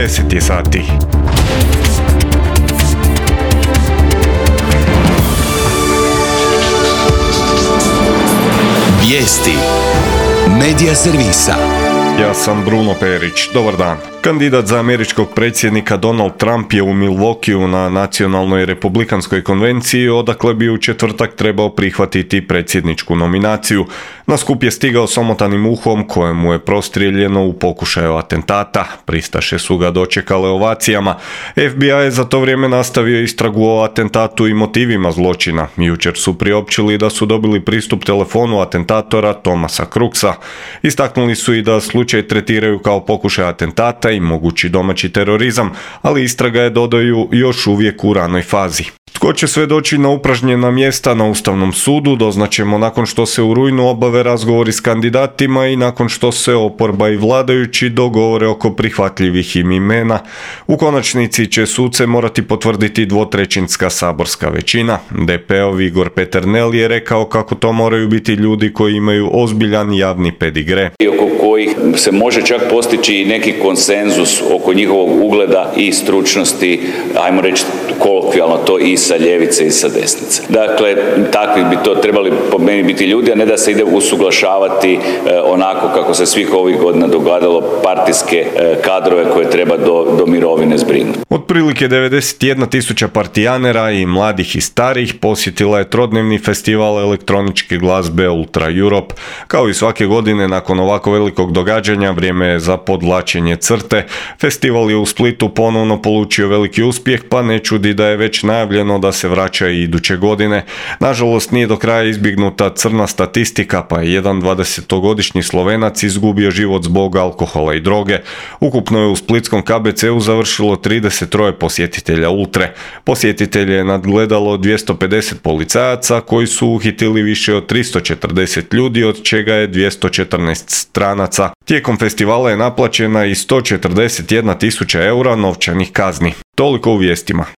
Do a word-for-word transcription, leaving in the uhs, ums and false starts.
deset je sati. Vijesti Medija servisa. Ja sam Bruno Perić. Dobar dan. Kandidat za američkog predsjednika Donald Trump je u Milwaukeeu na nacionalnoj republikanskoj konvenciji, odakle bi u četvrtak trebao prihvatiti predsjedničku nominaciju. Na skup je stigao s omotanim uhom kojemu je prostrijeljeno u pokušaju atentata. Pristaše su ga dočekale ovacijama. F B I je za to vrijeme nastavio istragu o atentatu i motivima zločina. Jučer su priopćili da su dobili pristup telefonu atentatora Thomasa Crooksa. Istaknuli su i da slučaj tretiraju kao pokušaj atentata i mogući domaći terorizam, ali istraga je, dodaju, još uvijek u ranoj fazi. Tko će sve doći na upražnjena mjesta na Ustavnom sudu, doznaćemo nakon što se u rujnu obave razgovori s kandidatima i nakon što se oporba i vladajući dogovore oko prihvatljivih im imena. U konačnici će suce morati potvrditi dvotrećinska saborska većina. D P-ov Igor Peternel je rekao kako to moraju biti ljudi koji imaju ozbiljan javni pedigre. Oko kojih se može čak postići neki konsenzus oko njihovog ugleda i stručnosti, ajmo reći kolokvijalno to i sa ljevice i sa desnice. Dakle, takvi bi to trebali po meni biti ljudi, a ne da se ide usuglašavati e, onako kako se svih ovih godina dogadalo partijske e, kadrove koje treba do, do mirovine zbrinuti. Otprilike devedeset jedna tisuća partijanera i mladih i starih posjetila je trodnevni festival elektroničke glazbe Ultra Europe. Kao i svake godine nakon ovako velikog događanja, vrijeme je za podvlačenje crte. Festival je u Splitu ponovno polučio veliki uspjeh, pa ne čudi da je već najavljeno da se vraća i iduće godine. Nažalost, nije do kraja izbjegnuta crna statistika, pa je jedan dvadesetogodišnji Slovenac izgubio život zbog alkohola i droge. Ukupno je u splitskom K B C-u završilo trideset troje posjetitelja Ultre. Posjetitelje je nadgledalo dvjesto pedeset policajaca koji su uhitili više od tristo četrdeset ljudi, od čega je dvjesto četrnaest stranaca. Tijekom festivala je naplaćena i sto četrdeset jedna tisuća eura novčanih kazni. Toliko u vijestima.